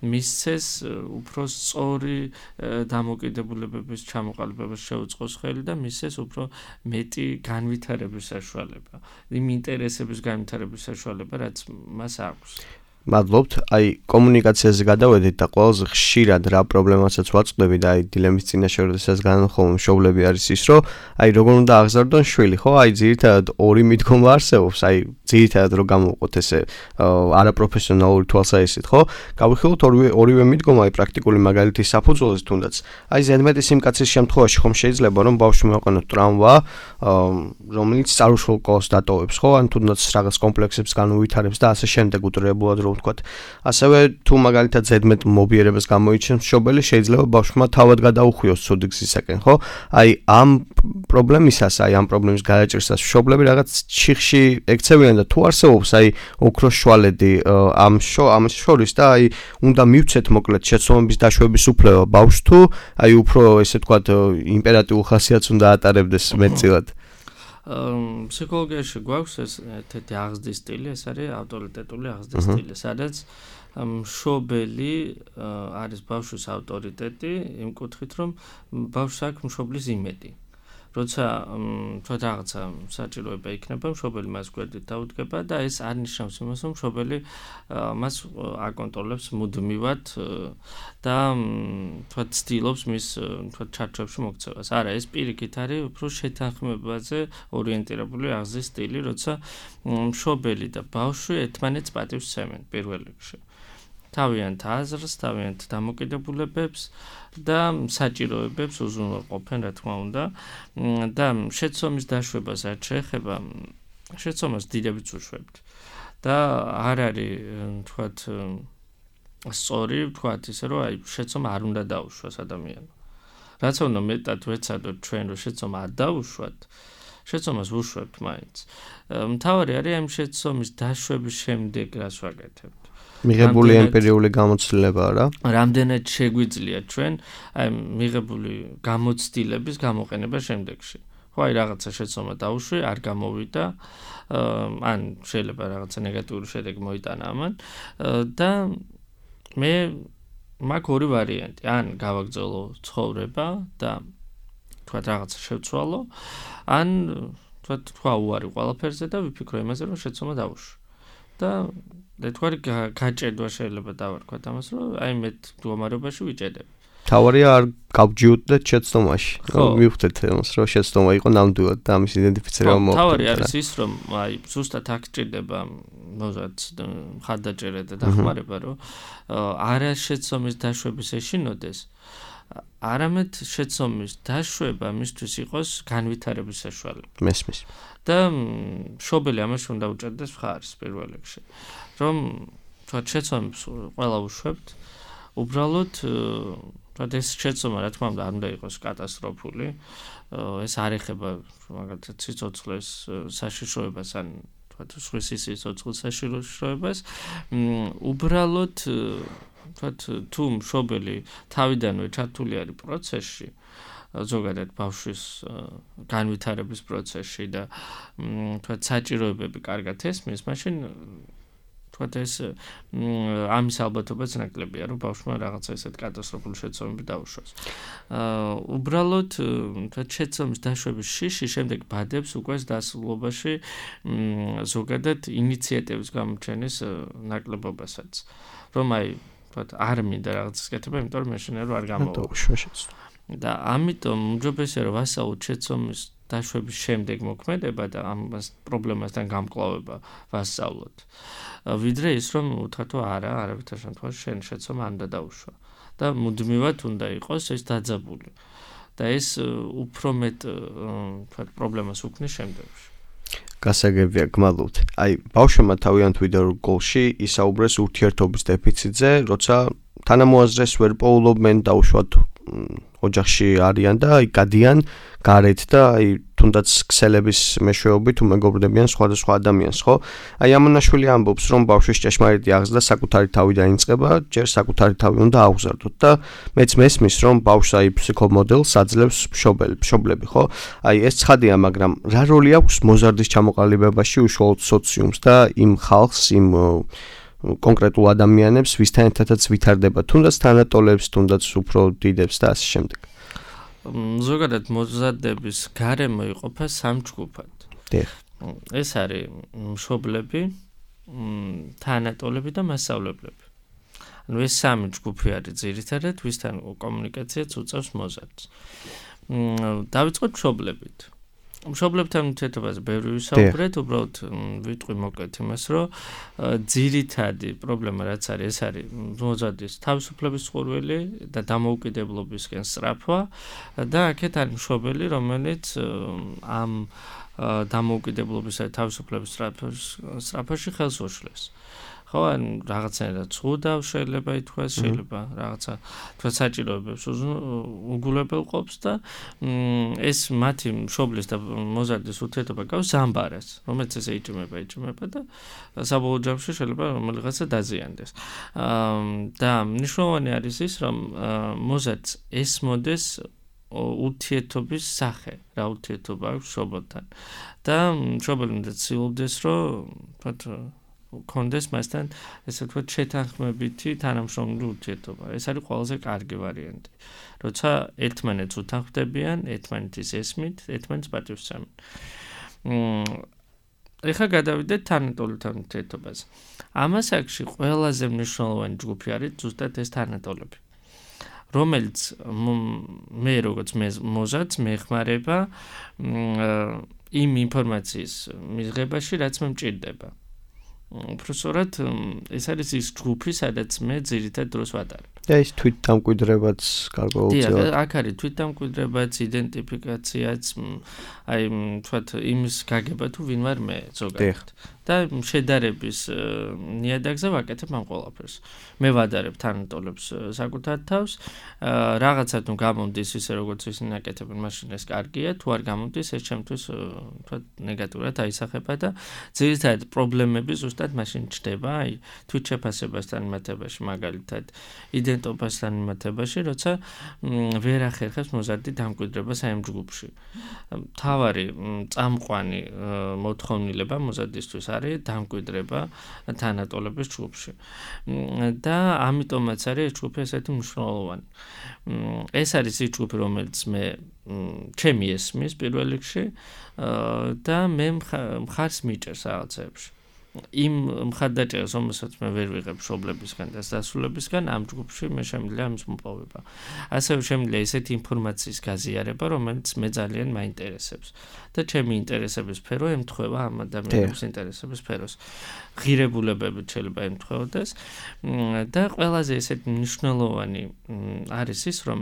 მისცეს უფრო სწორი დამოკიდებულებების ჩამოყალიბებას შეუწყოს ხელი და მისცეს უფრო მეტი განვითარების საშუალება, იმ ინტერესების განვითარების საშუალება, რაც მას აქვს. მადლობთ. აი კომუნიკაციაზე გადავედით და ყველაზე ხშირად რა პრობლემასაც ვაწყდები და აი დილემის წინაშე როდესაც განხილავ მშობლები არის ის, რომ აი როგორ უნდა აღზარდონ შვილი, ხო? აი ძირითადად ორი მიდგომა არსებობს, აი ძირითადად რო გამოვყოთ ესე არაპროფესიონალური თვალსაზრისით, ხო? გავიხილოთ ორივე ორივე მიდგომა აი პრაქტიკული მაგალითის საფუძველზე თუნდაც. აი ზედმეტი სიმკაცის შემთხვევაში ხომ შეიძლება რომ ბავშვი მოეყენოთ ტრამვა, რომელიც წარუშულ კოლოს დატოვებს, ხო? ან თუნდაც რაღაც კომპლექსებს განუვითარებს და ასე შემდეგ უტრებულად რომ ვთქვათ. ასევე თუ მაგალითად ზედმეტ მობიერებას გამოიჩენს მშობელი, შეიძლება ბავშვმა თავად გადაუხვიოს ცუდი გზისაკენ, ხო? აი ამ პრობლემისას, აი ამ პრობლემის გადაჭრისას მშობლები რაღაც ჩიხში ექცევიან და თუ არსებობს აი ოქროს შვალედი ამ ამ შორის და აი უნდა მივცეთ მოკლედ შეცდომების დაშვების უფლება ბავშვს თუ აი უფრო ესე ვთქვათ იმპერატიულ ხასიათს უნდა ატარებდეს მეტწილად. ფსიქოლოგიაში გვაქვს ეს ერთ-ერთი აღზრდის სტილი, ეს არის ავტორიტეტული აღზრდის სტილი, სადაც მშობელი არის ბავშვის ავტორიტეტი იმ კუთხით, რომ ბავშვს აქვს მშობლის იმედი. როცა თქვა რაღაცა საჭიროება იქნება, მშობელი მას გვერდით დაუდგება და ეს არ ნიშნავს იმას, რომ მშობელი მას აკონტროლებს მუდმივად და თქვა ცდილობს მის თქვა ჩარჩოებში მოქცევას. არა, ეს პირიქით არის უფრო შეთანხმებაზე ორიენტირებული აღზრდის სტილი, როცა მშობელი და ბავშვი ერთმანეთს პატივს სცემენ პირველ რიგში. თავიანთ აზრს, თავიანთ დამოკიდებულებებს და საჭიროებებს უზრუნველყოფენ, რა თქმა უნდა. და შეცდომის დაშვებას რაც შეეხება, შეცდომას დიდებიც უშვებთ. და არ არის, თქვათ, სწორი, თქვათ ისე, რომ აი შეცდომა არ უნდა დაუშვას ადამიანმა. რაც უნდა მეტად ვეცადოთ ჩვენ, რომ შეცდომა არ დაუშვათ, შეცდომას ვუშვებთ მაინც. მთავარი არის ამ შეცდომის დაშვების შემდეგ რას ვაკეთებთ. მიღებული ემპირიული გამოცდილება რა? რამდენად შეგვიძლია ჩვენ აი მიღებული გამოცდილების გამოყენება შემდეგში. ხო აი რაღაცა შეცდომა დაუშვი, არ გამოვიდა, ან შეიძლება რაღაცა ნეგატიური შედეგი მოიტანა ამან და მე მაქვს ორი ვარიანტი, ან გავაგრძელო ცხოვრება და თქვა რაღაცა შევცვალო, ან თქვა თქვა უარი ყველაფერზე და ვიფიქრო იმაზე, რომ შეცდომა დაუშვი. და თქვარი გაჭედვა შეიძლება დავარქვათ ამას, რომ აი მე მდგომარეობაში ვიჭედებ. თავარია არ გავჯიუდდეთ შეცდომაში. მივხვდეთ ამას, რომ შეცდომა იყო ნამდვილად და ამის იდენტიფიცირება მოხდა. თავარი არის ის, რომ აი ზუსტად აქ ჭირდება მოზარდ მხარდაჭერა და დახმარება, რომ არა შეცდომის დაშვების ეშინოდეს, არამედ შეცდომის დაშვება მისთვის იყოს განვითარების საშუალება. მესმის. და მშობელი ამაში უნდა უჭერდეს მხარს პირველ რიგში. რომ თქვა შეცდომებს ყველა უშვებთ, უბრალოდ თქვა ეს შეცდომა რა თქმა უნდა არ უნდა იყოს კატასტროფული, ეს არ ეხება მაგალითად სიცოცხლეს საშიშროებას ან თქვა სხვის სიცოცხლის საშიშროებას, უბრალოდ თქვა თუ მშობელი თავიდანვე ჩართული არის პროცესში, ზოგადად ბავშვის განვითარების პროცესში და თქვა საჭიროებები კარგად ესმის, მაშინ თქვა ეს ამის ალბათობაც ნაკლებია, რომ ბავშვმა რაღაცა ესეთ კატასტროფული შეცდომები დაუშვას. უბრალოდ თქვა შეცდომის დაშვების შიში შემდეგ ბადებს უკვე დასრულობაში ზოგადად ინიციატივის გამოჩენის ნაკლებობასაც. რომ აი თქვა არ მინდა რაღაცას კეთება, იმიტომ რომ მეშინე რომ არ გამოვაშვას. და ამიტომ უმჯობესია რომ ვასწავლოთ შეცდომის დაშვების შემდეგ მოქმედება და ამ პრობლემასთან გამკლავება ვასწავლოთ. ვიდრე ის რომ უთხრათო არა, არავითარ შემთხვევაში შენ შეცდომა არ უნდა დაუშვა და მუდმივად უნდა იყოს ეს დაძაბული. და ეს უფრო მეტ თქვა პრობლემას უქმნის შემდეგში. გასაგებია, გმადლობთ. აი, ბავშვებმა თავიანთ ვიდეო რგოლში ისაუბრეს ურთიერთობის დეფიციტზე, როცა თანამოაზრეს ვერ პოულობენ დაუშვათ ოჯახში არიან და აი გადიან გარეთ და აი თუნდაც ქსელების მეშვეობით უმეგობრდებიან სხვადასხვა ადამიანს, ხო? აი ამონაშვილი ამბობს, რომ ბავშვის ჭეშმარიტი აღზრდა საკუთარი თავიდან იწყება, ჯერ საკუთარი თავი უნდა აღვზარდოთ და მეც მესმის, რომ ბავშვს აი ფსიქომოდელს აძლევს მშობელი, მშობლები, ხო? აი ეს ცხადია, მაგრამ რა როლი აქვს მოზარდის ჩამოყალიბებაში უშუალოდ სოციუმს და იმ ხალხს, იმ კონკრეტულ ადამიანებს, ვისთან ერთადაც ვითარდება, თუნდაც თანატოლებს, თუნდაც უფრო დიდებს და ასე შემდეგ. ზოგადად მოზარდების გარემო იყოფა სამ ჯგუფად. დიახ. ეს არის მშობლები, თანატოლები და მასწავლებლები. ანუ ეს სამი ჯგუფი არის ძირითადად, ვისთან კომუნიკაციაც უწევს მოზარდს. დავიწყოთ მშობლებით. მშობლებთან ურთიერთობაზე ბევრი ვისაუბრეთ, უბრალოდ ვიტყვი მოკლედ იმას, რომ ძირითადი პრობლემა რაც არის, ეს არის მოზარდის თავისუფლების წყურვილი და დამოუკიდებლობისკენ სწრაფვა და აქეთ არის მშობელი, რომელიც ამ დამოუკიდებლობისა და თავისუფლების სწრაფვაში ხელს უშლის. ხო, ან რაღაცნაირად ცუდავ შეიძლება ითქვას, შეიძლება რაღაცა თქვა საჭიროებებს უგულებელყოფს და ეს მათი მშობლის და მოზარდის ურთიერთობა გავს ზამბარას, რომელიც ესე იჭმება, იჭმება და საბოლოო ჯამში შეიძლება რომელიღაცა დაზიანდეს. და მნიშვნელოვანი არის ის, რომ მოზარდს ესმოდეს ურთიერთობის სახე, რა ურთიერთობა აქვს მშობელთან. და მშობელი უნდა ცდილობდეს, რომ თქვა კონდეს მასთან ესე ვთქვათ შეთანხმებითი თანამშრომლული ურთიერთობა. ეს არის ყველაზე კარგი ვარიანტი. როცა ერთმანეთს უთანხმდებიან, ერთმანეთის ესმით, ერთმანეთს პატივსცემენ. ეხლა გადავიდეთ თანატოლებთან ურთიერთობაზე. ამას აქში ყველაზე მნიშვნელოვანი ჯგუფი არის ზუსტად ეს თანატოლები. რომელიც მე როგორც მოზარდს მეხმარება იმ ინფორმაციის მიღებაში, რაც მე მჭირდება. უბრალოდ ეს არის ის ჯგუფი, სადაც მე ძირითად დროს ვატარებ. და ის თვითდამკვიდრებაც გარკვეულწილად. დიახ, აქ არის თვითდამკვიდრებაც, იდენტიფიკაციაც, აი, თქვათ, იმის გაგება თუ ვინ ვარ მე ზოგადად. და შედარების ნიადაგზე ვაკეთებ ამ ყველაფერს. მე ვადარებ თანატოლებს საკუთარ თავს, რაღაცა თუ გამომდის ისე როგორც ისინი აკეთებენ, მაშინ ეს კარგია, თუ არ გამომდის, ეს ჩემთვის თქვათ ნეგატიურად აისახება და ძირითადად პრობლემები ზუსტად მაშინ ჩდება, აი, თვითშეფასებასთან მათებაში მაგალითად, იდენტიფიკაციასთან სტუდენტობასთან მიმართებაში, როცა ვერ ახერხებს მოზარდი დამკვიდრებას აი ამ ჯგუფში. თავარი წამყვანი მოთხოვნილება მოზარდისთვის არის დამკვიდრება თანატოლების ჯგუფში. და ამიტომაც არის ეს ჯგუფი ესეთი მნიშვნელოვანი. ეს არის ის ჯგუფი, რომელიც მე ჩემი ესმის პირველ რიგში და მე მხარს მიჭერს რაღაცებში. იმ მხარდაჭერას, რომელსაც მე ვერ ვიღებ მშობლებისგან და დასრულებისგან, ამ ჯგუფში მე შემიძლია ამის მოპოვება. ასევე შემიძლია ისეთი ინფორმაციის გაზიარება, რომელიც მე ძალიან მაინტერესებს და ჩემი ინტერესების სფერო ემთხვევა ამ ადამიანების ინტერესების სფეროს. ღირებულებებით შეიძლება ემთხვეოდეს და ყველაზე ესეთი მნიშვნელოვანი არის ის, რომ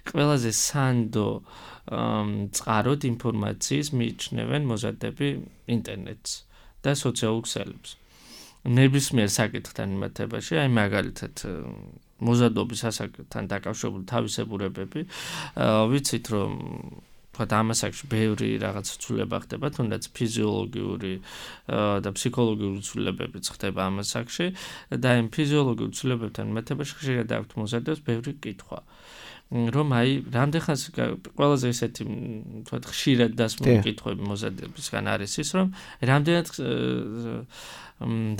ყველაზე სანდო წყაროდ ინფორმაციის მიიჩნევენ მოზარდები ინტერნეტს და სოციალურ ქსელებს. ნებისმიერ საკითხთან მიმართებაში, აი მაგალითად მოზარდობის ასაკთან დაკავშირებული თავისებურებები, ვიცით რომ თქვა ამასაკში ბევრი რაღაც ცვლილება ხდება, თუნდაც ფიზიოლოგიური და ფსიქოლოგიური ცვლილებებიც ხდება ამასაკში და იმ ფიზიოლოგიურ ცვლილებებთან მიმართებაში ხშირად აქვთ მოზარდებს ბევრი კითხვა. რომ აი რამდენხანს ყველაზე ესეთი თქვა ხშირად დასმული კითხვები მოზარდებისგან არის ის, რომ რამდენად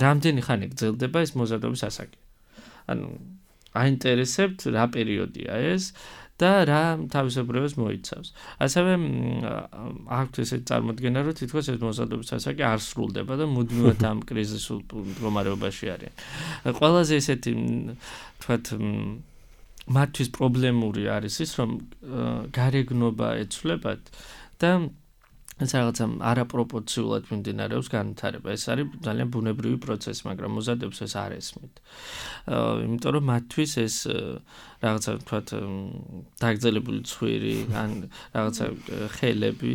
რამდენი ხანი გრძელდება ეს მოზარდობის ასაკი. ანუ აინტერესებთ რა პერიოდია ეს და რა თავისებურებას მოიცავს. ასევე აქვთ ესეთი წარმოდგენა, რომ თითქოს ეს მოზარდობის ასაკი არ სრულდება და მუდმივად ამ კრიზისულ მდგომარეობაში არიან. ყველაზე ესეთი თქვათ მათთვის პრობლემური არის ის, რომ გარეგნობა ეცვლებათ და ეს რაღაცა არაპროპორციულად მიმდინარეობს განვითარება. ეს არის ძალიან ბუნებრივი პროცესი, მაგრამ მოზარდებს ეს არ ესმით. იმიტომ რომ მათთვის ეს რაღაცა თქვათ დაგრძელებული ცხვირი ან რაღაცა ხელები,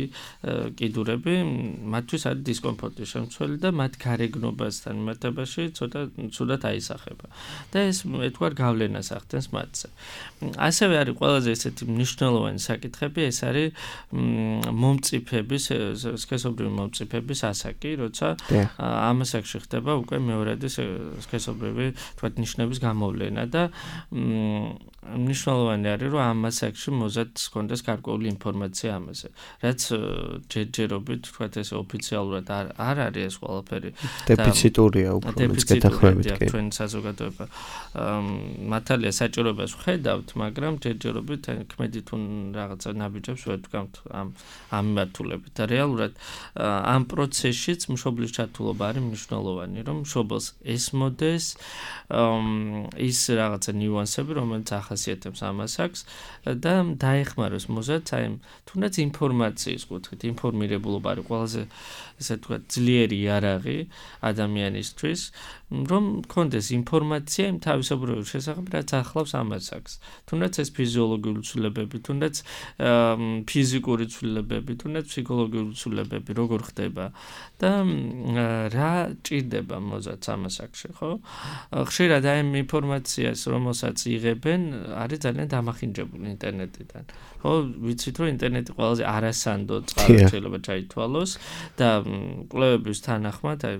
კიდურები მათთვის არის დისკომფორტის შემცველი და მათ გარეგნობასთან მიმართებაში ცოტა ცუდად აისახება. და ეს ეთქვარ გავლენას ახდენს მათზე. ასევე არის ყველაზე ესეთი მნიშვნელოვანი საკითხები, ეს არის მომწიფების სქესობრივი მომწიფების ასაკი, როცა ამ ასაკში ხდება უკვე მეორადი სქესობრივი თქვათ ნიშნების გამოვლენა და მნიშვნელოვანი არის, რომ ამ ასაკში მოზარდს ჰქონდეს გარკვეული ინფორმაცია ამაზე. რაც ჯერჯერობით თქვათ ეს ოფიციალურად არ არ არის ეს ყველაფერი. დეფიციტურია უფრო მეტსკეთახმებით კი. ჩვენ საზოგადოება მართალია საჭიროებას ვხედავთ, მაგრამ ჯერჯერობით ქმედით თუ რაღაცა ნაბიჯებს ვერ ვდგამთ ამ ამ მიმართულებით. და რეალურად ამ პროცესშიც მშობლის ჩართულობა არის მნიშვნელოვანი, რომ მშობელს ესმოდეს ის რაღაცა ნიუანსები, რომელიც ახასიათებს ამ ასაკს და დაეხმაროს მოზარდს აი თუნდაც ინფორმაციის კუთხით. ინფორმირებულობა არის ყველაზე ესე ვთქვათ ძლიერი იარაღი ადამიანისთვის, რომ მქონდეს ინფორმაცია იმ თავისებურების შესახებ, რაც ახლავს ამ ასაკს. თუნდაც ეს ფიზიოლოგიური ცვლილებები, თუნდაც ფიზიკური ცვლილებები, თუნდაც ფსიქოლოგიური ცვლილებები როგორ ხდება და რა ჭირდება მოზარდს ამ ასაკში, ხო? ხშირად აი ამ ინფორმაციას, რომელსაც იღებენ, არის ძალიან დამახინჯებული ინტერნეტიდან. ხო, ვიცით რომ ინტერნეტი ყველაზე არასანდო წყარო შეიძლება ჩაითვალოს და კვლევების თანახმად, აი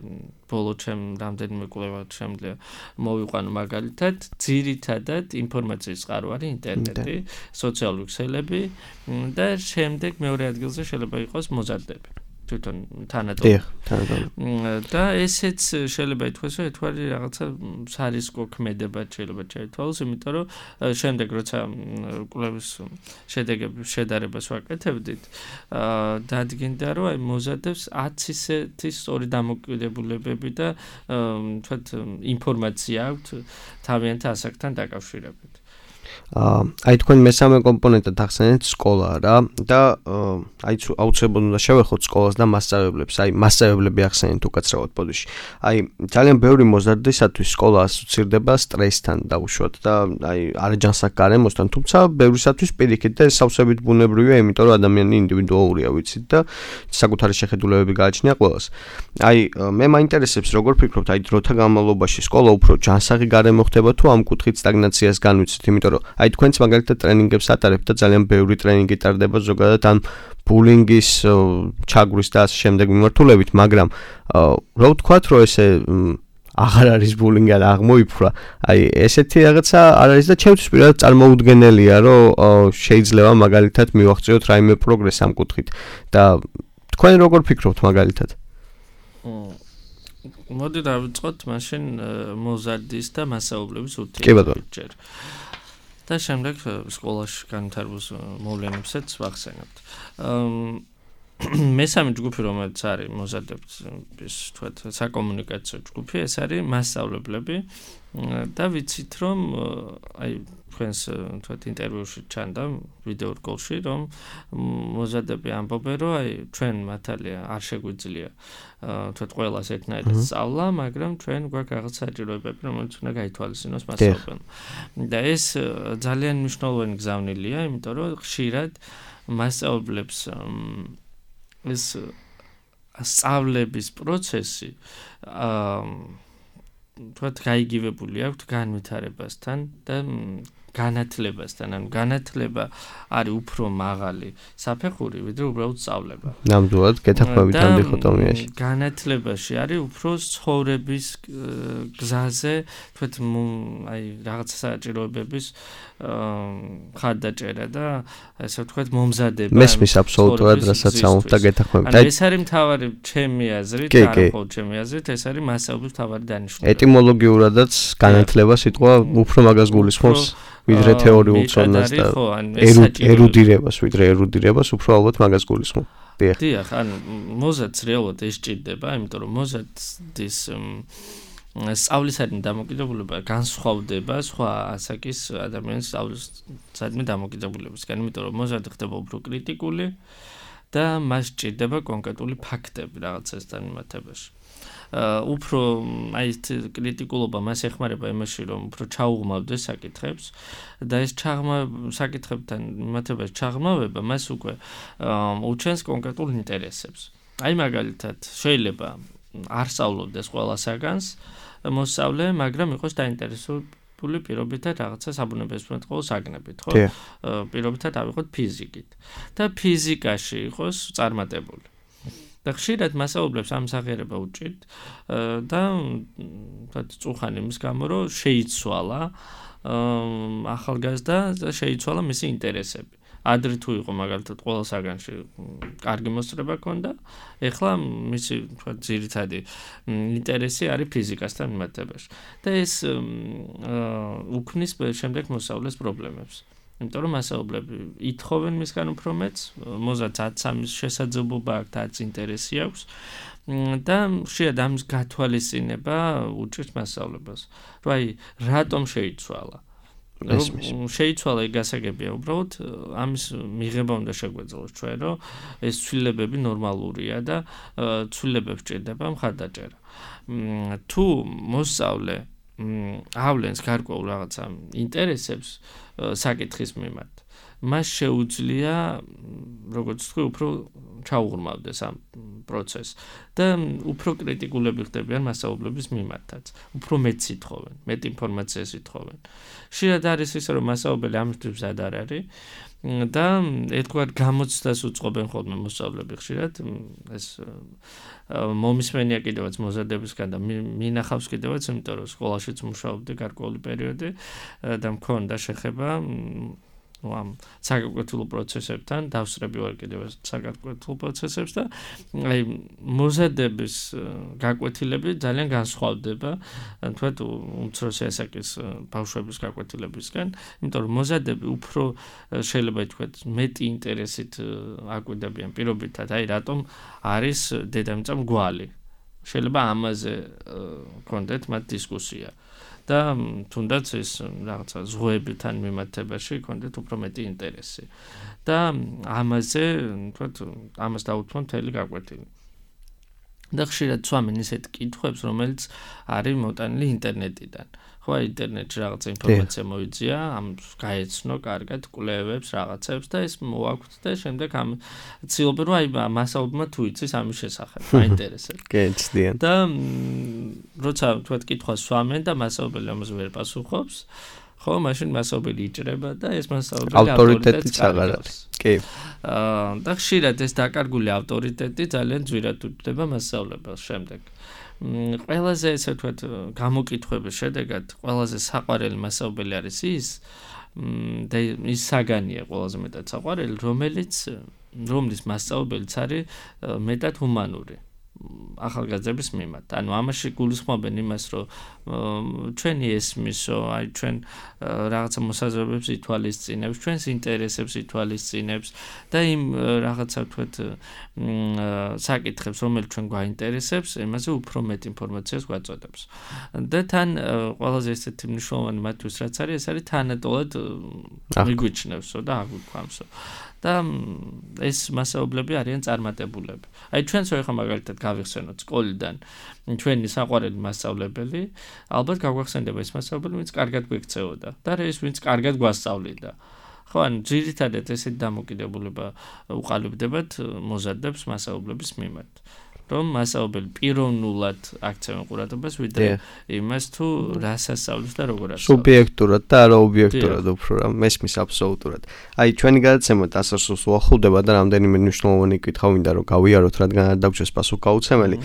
ბოლო ჩემ რამდენიმე კვლევა შემიძლია მოვიყვანო მაგალითად, ძირითადად ინფორმაციის წყარო არის ინტერნეტი, სოციალური ქსელები და შემდეგ მეორე ადგილზე შეიძლება იყოს მოზარდები. თვითონ თანატოლი. და ესეც შეიძლება ითქვას, რომ ეთვარი რაღაცა სარისკო ქმედებად შეიძლება ჩაითვალოს, იმიტომ რომ შემდეგ როცა კვლევის შედეგების შედარებას ვაკეთებდით, დადგინდა, რომ აი მოზარდებს ათი ისეთი სწორი დამოკიდებულებები და თქვათ ინფორმაცია აქვთ თავიანთ ასაკთან დაკავშირებით. აი თქვენ მესამე კომპონენტად ახსენეთ სკოლა რა და აი აუცილებლად უნდა შევეხოთ სკოლას და მასწავლებლებს. აი მასწავლებლები ახსენეთ უკაცრავად პოდიში. აი ძალიან ბევრი მოზარდისათვის სკოლა ასოცირდება სტრესთან დაუშვათ და აი არაჯანსაღ გარემოსთან, თუმცა ბევრისათვის პირიქით და სავსებით ბუნებრივია, იმიტომ რომ ადამიანი ინდივიდუალურია, ვიცით და საკუთარი შეხედულებები გააჩნია ყველას. აი მე მაინტერესებს როგორ ფიქრობთ, აი დროთა განმავლობაში სკოლა უფრო ჯანსაღი გარემო ხდება თუ ამ კუთხით სტაგნაციას განვიცით, იმიტომ რომ აი თქვენც მაგალითად ტრენინგებს ატარებთ და ძალიან ბევრი ტრენინგი ტარდება ზოგადად ამ ბულინგის, ჩაგვრის და ასე შემდეგ მიმართულებით, მაგრამ რა ვთქვათ, რომ ესე აღარ არის ბულინგი ან აღმოიფრა. აი ესეთი რაღაცა არ არის და ჩემთვის პირადად წარმოუდგენელია, რომ შეიძლება მაგალითად მივახციოთ რაიმე პროგრესი ამ კუთხით და თქვენ როგორ ფიქრობთ მაგალითად? მოდი დავიწყოთ მაშინ მოზარდის და მასაუბრების კი ბატონო. ურთიერთობებით. და შემდეგ სკოლაში განვითარებულ მოვლენებსაც ვახსენებთ. მესამე ჯგუფი, რომელიც არის მოზარდების თქვათ საკომუნიკაციო ჯგუფი, ეს არის მასწავლებლები და ვიცით რომ აი თქვენს თქვათ ინტერვიუში ჩანდა ვიდეო რგოლში რომ მოზარდები ამბობენ რომ აი ჩვენ მართალია არ შეგვიძლია თქვათ ყველას ერთნაირად სწავლა, მაგრამ ჩვენ გვაქვს რაღაც საჭიროებები, რომელიც უნდა გაითვალისწინოს მასწავლებელმა. და ეს ძალიან მნიშვნელოვანი გზავნილია, იმიტომ რომ ხშირად მასწავლებლებს ეს სწავლების პროცესი აა თქვათ გაიგივებული აქვს განვითარებასთან და განათლებასთან, ანუ განათლება არის უფრო მაღალი საფეხური, ვიდრე უბრალოდ სწავლება. ნამდვილად გეთანხმებით ამ დიქოტომიაში. განათლებაში არის უფრო ცხოვრების გზაზე, თქვათ აი რაღაც საჭიროებების ხარდაჭერა და ასე ვთქვათ მომზადება. მესმის აბსოლუტურად რასაც ამბობთ და გეთანხმებით. აი ეს არის მთავარი ჩემი აზრით, არა მხოლოდ ჩემი აზრით, ეს არის მასწავლებლის მთავარი დანიშნულება. ეტიმოლოგიურადაც განათლება სიტყვა უფრო მაგას გულისხმობს. ვიდრე თეორიულ ცოდნას და ერუდირებას, ვიდრე ერუდირებას უფრო ალბათ მაგას გულისხმობ. დიახ. დიახ, ანუ მოზარდს რეალურად ეს ჭირდება, იმიტომ რომ მოზარდის სწავლისადმი დამოკიდებულება განსხვავდება სხვა ასაკის ადამიანის სწავლისადმი დამოკიდებულებისგან, იმიტომ რომ მოზარდი ხდება უფრო კრიტიკული და მას ჭირდება კონკრეტული ფაქტები რაღაცასთან მიმართებაში. უფრო აი ეს კრიტიკულობა მას ეხმარება იმაში, რომ უფრო ჩაუღმავდეს საკითხებს და ეს ჩაღმა საკითხებთან მიმართებაში ჩაღმავება მას უკვე უჩენს კონკრეტულ ინტერესებს. აი მაგალითად, შეიძლება არ სწავლობდეს ყველა საგანს მოსწავლე, მაგრამ იყოს დაინტერესებული პირობითად რაღაცა საბუნებისმეტყველო საგნებით, ხო? პირობითად ავიღოთ ფიზიკით და ფიზიკაში იყოს წარმატებული. და ხშირად მასწავლებლებს ამ სახერება უჭირთ და წუხანი იმის გამო, რომ შეიცვალა ახალგაზრდა და შეიცვალა მისი ინტერესები. ადრე თუ იყო მაგალითად ყველა საგანში კარგი მოსწრება ჰქონდა, ეხლა მისი თქვა ძირითადი ინტერესი არის ფიზიკასთან მიმართებაში. და ეს უქმნის შემდეგ მოსწავლეს პრობლემებს. იმიტომ რომ მასწავლებლები ითხოვენ მისგან უფრო მეტს, მოზარდს ათს ამის შესაძლებლობა აქვს და ათს ინტერესი აქვს და ხშირად ამის გათვალისწინება უჭირს მასწავლებლებს. რომ აი რატომ შეიცვალა? შეიცვალა იქ გასაგებია უბრალოდ ამის მიღება უნდა შეგვეძლოს ჩვენ, რომ ეს ცვლილებები ნორმალურია და ცვლილებებს ჭირდება მხარდაჭერა. თუ მოსწავლე ავლენს გარკვეულ რაღაცა ინტერესებს საკითხის მიმართ, მას შეუძლია, როგორც თქვი, უფრო ჩაუღრმავდეს ამ პროცესს და უფრო კრიტიკულები ხდებიან მასწავლებლების მიმართაც. უფრო მეტს ითხოვენ, მეტ ინფორმაციას ითხოვენ. ხშირად არის ისე, რომ მასწავლებელი ამისთვის მზად არ არის და ერთგვარ გამოცდას უწყობენ ხოლმე მოსწავლეები ხშირად. ეს მომისმენია კიდევაც მოზარდებისგან და მინახავს კიდევაც, იმიტომ რომ სკოლაშიც მუშაობდი გარკვეული პერიოდი და მქონდა შეხება ამ საგაკვეთილო პროცესებთან, დავსწრები ვარ კიდევაც საგაკვეთილო პროცესებს და აი მოზარდების გაკვეთილები ძალიან განსხვავდება თქვათ უმცროსი ასაკის ბავშვების გაკვეთილებისგან, იმიტომ რომ მოზარდები უფრო შეიძლება თქვათ მეტი ინტერესით აკვირდებიან პირობითად, აი რატომ არის დედამიწა მრგვალი. შეიძლება ამაზე გქონდეთ მათ დისკუსია. და თუნდაც ეს რაღაცა ზღვებთან მიმართებაში გქონდეთ უფრო მეტი ინტერესი. და ამაზე, თქვათ, ამას დაუთმო მთელი გაკვეთილი. და ხშირად სვამენ ისეთ კითხვებს, რომელიც არის მოტანილი ინტერნეტიდან. ხო, ინტერნეტში რაღაცა ინფორმაცია მოიწია, ამ გაეცნო კარგად კვლევებს, რაღაცებს და ეს მოაქვთ და შემდეგ ამ ცდილობენ, რომ აი მასწავლებელმა თუ იცის ამის შესახებ, აინტერესებს. კი, ცდიან. და როცა თქვათ კითხვას სვამენ და მასწავლებელი ამაზე ვერ პასუხობს, ხო, მაშინ მასწავლებელი იჭრება და ეს მასწავლებელი ავტორიტეტიც აღარ არის. კი. აა და ხშირად ეს დაკარგული ავტორიტეტი ძალიან ძვირად უთდება მასწავლებელს შემდეგ. ყველაზე ესე ვთქვათ გამოკითხვების შედეგად ყველაზე საყვარელი მასაუბელი არის ის და ის საგანია ყველაზე მეტად საყვარელი, რომელიც რომლის მასაუბელიც არის მეტად ჰუმანური ახალგაზრდების მიმართ. ანუ ამაში გულისხმობენ იმას, რომ ჩვენი ესმისო, აი ჩვენ რაღაცა მოსაზრებებს ითვალისწინებს, ჩვენს ინტერესებს ითვალისწინებს და იმ რაღაცა ვთქვათ საკითხებს, რომელიც ჩვენ გვაინტერესებს, იმაზე უფრო მეტ ინფორმაციას გვაწოდებს. და თან ყველაზე ესეთი მნიშვნელოვანი მათთვის რაც არის, ეს არის თანატოლად მიგვიჩნევსო და აგვიქვამსო. და ეს მასაუებლები არიან წარმატებულები. აი ჩვენც ხო მაგალითად გავიხსენოთ სკოლიდან ჩვენი საყვარელი მასწავლებელი, ალბათ გაგვახსენდება ეს მასაუებელი, ვინც კარგად გვექცეოდა და რა ის ვინც კარგად გვასწავლიდა. ხო, ან ძირითადად ესეთი დამოკიდებულება უყალიბდებათ მოზარდებს მასაუებლების მიმართ. რომ მასაუბელი პიროვნულად აქცევენ ყურადღებას, ვიდრე იმას თუ რას ასწავლის და როგორ ასწავლის. სუბიექტურად და არა ობიექტურად უფრო რა, მესმის აბსოლუტურად. აი ჩვენი გადაცემა დასასრულს უახლოვდება და რამდენიმე მნიშვნელოვანი კითხვა მინდა რომ გავიაროთ, რადგან არ დაგვრჩეს პასუხგაუცემელი.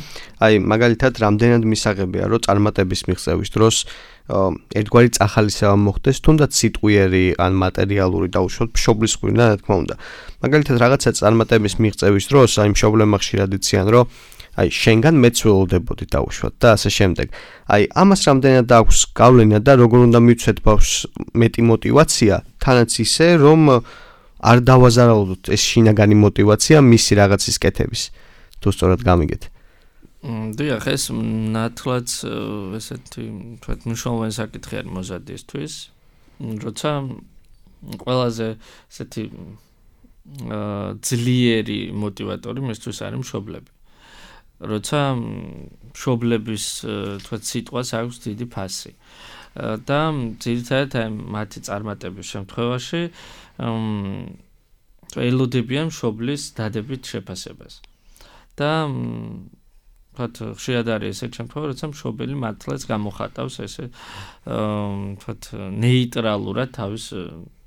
აი მაგალითად, რამდენად მისაღებია რომ წარმატების მიღწევის დროს ერთგვარი წახალისება მოხდეს, თუნდაც სიტყვიერი ან მატერიალური დაუშვათ მშობლის ღვინა, რა თქმა უნდა. მაგალითად, რაღაცა წარმატების მიღწევის დროს აი მშობლებმა ხშირად იციან, რომ აი შენგან მეც ველოდებოდი დაუშვათ და ასე შემდეგ. აი ამას რამდენად აქვს გავლენა და როგორ უნდა მივცეთ ბავშვს მეტი мотиваცია, თანაც ისე რომ არ დავაზარალოთ ეს შინაგანი мотиваცია მისი რაღაცის კეთების. თუ სწორად გამიგეთ. დიახ, ეს ნათლად ესეთი თქვათ მნიშვნელოვანი საკითხი არის მოზარდისთვის, როცა ყველაზე ესეთი ძლიერი мотиваტორი მისთვის არის მშობლები. როცა მშობლების თქვათ სიტყვას აქვს დიდი ფასი. და ძირითადად აი მათი წარმატების შემთხვევაში ელოდებიან მშობლის დადებით შეფასებას. და თქვათ ხშირად არის ესეთი შემთხვევა, როცა მშობელი მართლაც გამოხატავს ესე თქვათ ნეიტრალურად თავის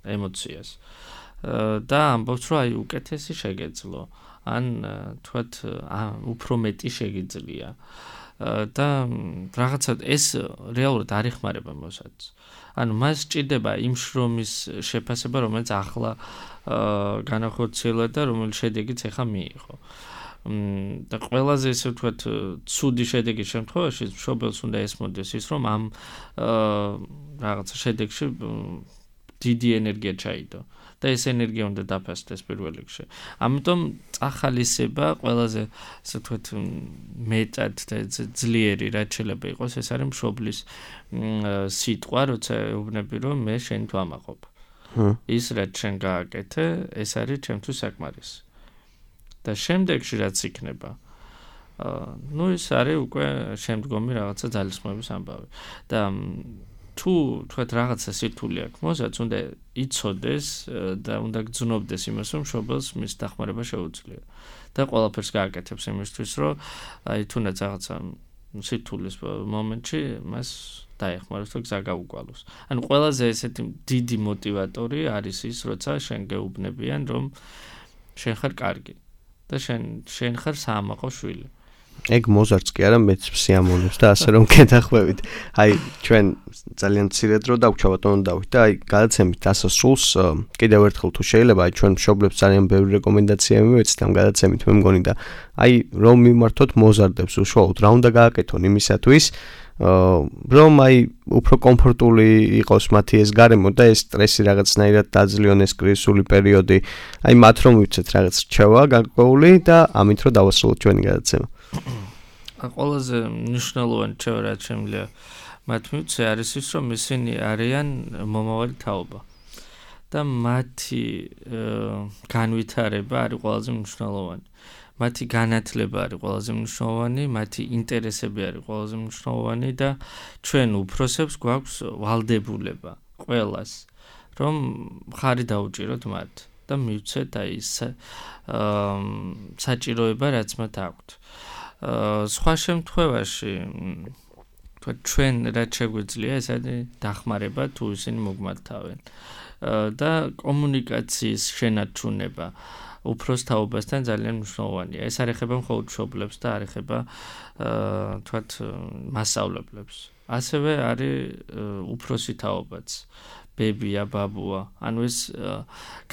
ემოციას. და ამბობს, რომ აი უკეთესი შეგეძლო. ან თქვათ უფრო მეტი შეგიძლია და რაღაცა ეს რეალურად არ ეხმარება მოსადს. ანუ მას სჭირდება იმ შრომის შეფასება, რომელიც ახლა განახორციელა და რომელიც შედეგიც ახლა მიიღო. და ყველაზე ესე ვთქვათ ცუდი შედეგის შემთხვევაში მშობელს უნდა ესმოდეს ის, რომ ამ რაღაცა შედეგში დიდი ენერგია ჩაიდო. და ეს ენერგია უნდა დაფასდეს პირველ რიგში. ამიტომ წახალისება ყველაზე ასე ვთქვათ მეტად და ძლიერი რაც შეიძლება იყოს, ეს არის მშობლის სიტყვა, როცა ეუბნები რომ მე შენ თვამაყობ. ის რაც შენ გააკეთე, ეს არის ჩემთვის საკმარისი. და შემდეგში რაც იქნება, ნუ ის არის უკვე შემდგომი რაღაცა ძალისხმევის ამბავი. და თუ თქვათ რაღაცა სირთულე აქვს, მოსაც უნდა იცოდეს და უნდა გძნობდეს იმას, რომ მშობელს მის დახმარება შეუძლია. და ყველაფერს გააკეთებს იმისთვის, რომ აი თუნდაც რაღაცა სირთულის მომენტში მას დაეხმაროს და გზა გაუგვალოს. ანუ ყველაზე ესეთი დიდი мотиваტორი არის ის, როცა შენ გეუბნებიან, რომ შენ ხარ კარგი და შენ შენ ხარ საამაყო შვილი. ეგ მოზარდს კი არა მეც სიამოვნებს და ასე რომ გეთახვევით. აი ჩვენ ძალიან მცირე დრო დაგვჭა ბატონო დავით და აი გადაცემით დასასრულს კიდევ ერთხელ თუ შეიძლება აი ჩვენ მშობლებს ძალიან ბევრი რეკომენდაცია მივეცით ამ გადაცემით მე მგონი და აი რომ მიმართოთ მოზარდებს უშუალოდ რა უნდა გააკეთონ იმისათვის რომ აი უფრო კომფორტული იყოს მათი ეს გარემო და ეს სტრესი რაღაცნაირად დაძლიონ ეს კრიზისული პერიოდი აი მათ რომ მივცეთ რაღაც რჩევა გაკვეული და ამით რომ დავასრულოთ ჩვენი გადაცემა. ყველაზე მნიშვნელოვანი რჩევა რაც შემიძლია მათ მივცე არის ის რომ ისინი არიან მომავალი თაობა და მათი განვითარება არის ყველაზე მნიშვნელოვანი. მათი განათლება არის ყველაზე მნიშვნელოვანი, მათი ინტერესები არის ყველაზე მნიშვნელოვანი და ჩვენ უფროსებს გვაქვს ვალდებულება ყველას რომ ხარი დაუჭიროთ მათ და მივცეთ აი ის საჭიროება რაც მათ აქვთ. სხვა შემთხვევაში ჩვენ რაც შეგვიძლია ეს არის დახმარება თუ ისინი მოგმართავენ და კომუნიკაციის შენარჩუნება უფროს თაობასთან ძალიან მნიშვნელოვანია. ეს არ ეხება მხოლოდ მშობლებს და არ ეხება თქვათ მასწავლებლებს. ასევე არის უფროსი თაობაც. ბებია, ბაბუა, ანუ ეს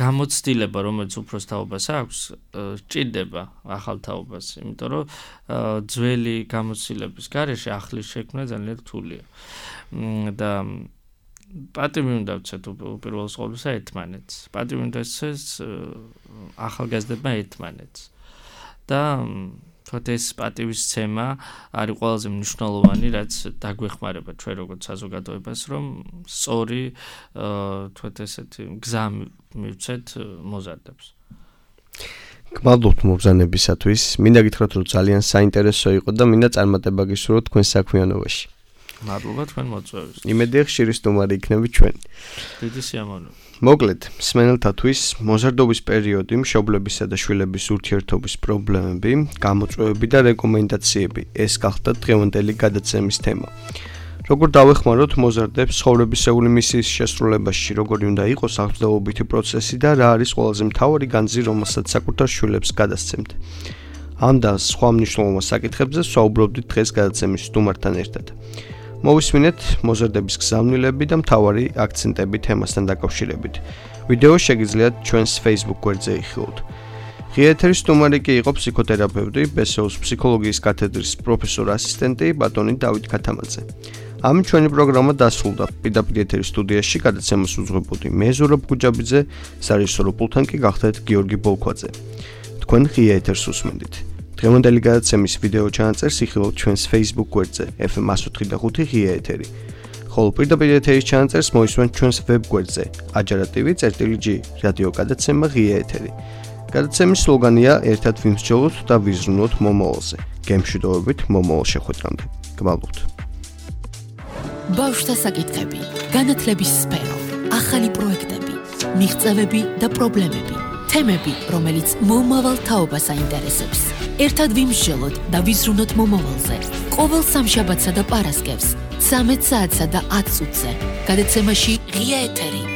გამოცდილება, რომელიც უფროს თაობას აქვს, ჭირდება ახალ თაობას, იმიტომ რომ ძველი გამოცდილების გარეშე ახლის შექმნა ძალიან რთულია. და პატივი უნდა ვცეთ უპირველეს ყოვლისა ერთმანეთს. პატივი უნდა ეცეს ახალგაზრდებმა ერთმანეთს. და თქოთ ეს პატივისცემა არის ყველაზე მნიშვნელოვანი, რაც დაგვეხმარება ჩვენ როგორც საზოგადოებას, რომ სწორი თქოთ ესეთი გზა მივცეთ მოზარდებს. გმადლობთ მობრძანებისათვის. მინდა გითხრათ, რომ ძალიან საინტერესო იყო და მინდა წარმატება გისურვოთ თქვენ საქმიანობაში. მადლობა თქვენ მოწვევისთვის. იმედია ხშირი სტუმარი იქნებით ჩვენ. დიდი სიამოვნებაა. მოკლედ, მსმენელთათვის მოზარდობის პერიოდი, მშობლებისა და შვილების ურთიერთობის პრობლემები, გამოწვევები და რეკომენდაციები ეს გახდა დღევანდელი გადაცემის თემა. Როგორ დავეხმაროთ მოზარდებს ცხოვრებისეული მისიის შესრულებაში, როგორი უნდა იყოს აღზრდობითი პროცესი და რა არის ყველაზე მთავარი განძი, რომელსაც საკუთარ შვილებს გადასცემთ. ამ და სხვა მნიშვნელოვან საკითხებზე ვსაუბრობდით დღეს გადაცემის სტუმართან ერთად. მოვისმინეთ მოზარდების გზავნილები და მთავარი აქცენტები თემასთან დაკავშირებით. ვიდეო შეგიძლიათ ჩვენს Facebook გვერდზე იხილოთ. ღია ეთერის სტუმარი კი იყო ფსიქოთერაპევტი, ბესოუს ფსიქოლოგიის კათედრის პროფესორ ასისტენტი ბატონი დავით ქათამაძე. ამით ჩვენი პროგრამა დასრულდა. პირდაპირ ეთერის სტუდიაში გადაცემას უძღვებოდი მე ზურაბ გუჯაბიძე, სარეჟისორო პულტთან კი გახდეთ გიორგი ბოლქვაძე. თქვენ ღია ეთერს უსმენდით. დღევანდელი გადაცემის ვიდეო ჩანაწერს იხილავთ ჩვენს Facebook გვერდზე ეფ ემ εκατო ოთხი და ხუთი ღია ეთერი. ხოლო პირდაპირ ეთერის ჩანაწერს მოისმენთ ჩვენს ვებ გვერდზე აჯარა ტივი წერტილი ჯი რადიო გადაცემა ღია ეთერი. გადაცემის სლოგანია ერთად ვიმსჯელოთ და ვიზრუნოთ მომავალზე. გემშვიდობებით მომავალ შეხვედრამდე. გმადლობთ. ბავშვთა საკითხები, განათლების სფერო, ახალი პროექტები, მიღწევები და პრობლემები, თემები, რომელიც მომავალ თაობას აინტერესებს. ერთად ვიმსჯელოთ და ვიზრუნოთ მომავალზე. ყოველ სამშაბათსა და პარასკევს, ცამეტ საათსა და ათ წუთზე. გადაცემაში ღია ეთერი.